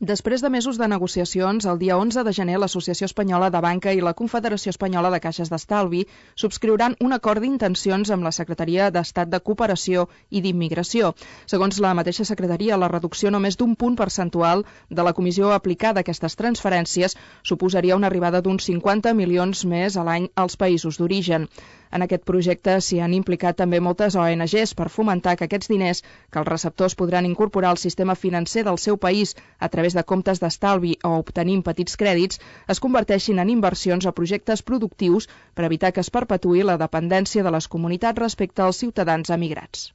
Després de mesos de negociacions, el dia 11 de gener l'Associació Espanyola de Banca i la Confederació Espanyola de Caixes d'Estalvi subscriuran un acord d'intencions amb la Secretaria d'Estat de Cooperació i d'Immigració. Segons la mateixa secretaria, la reducció només d'un punt percentual de la comissió aplicada a aquestes transferències suposaria una arribada d'uns 50 milions més a l'any als països d'origen. En aquest projecte s'hi han implicat també moltes ONGs per fomentar que aquests diners que els receptors podran incorporar al sistema financer del seu país a través de comptes d'estalvi o obtenint petits crèdits es converteixin en inversions o projectes productius per evitar que es perpetuï la dependència de les comunitats respecte als ciutadans emigrats.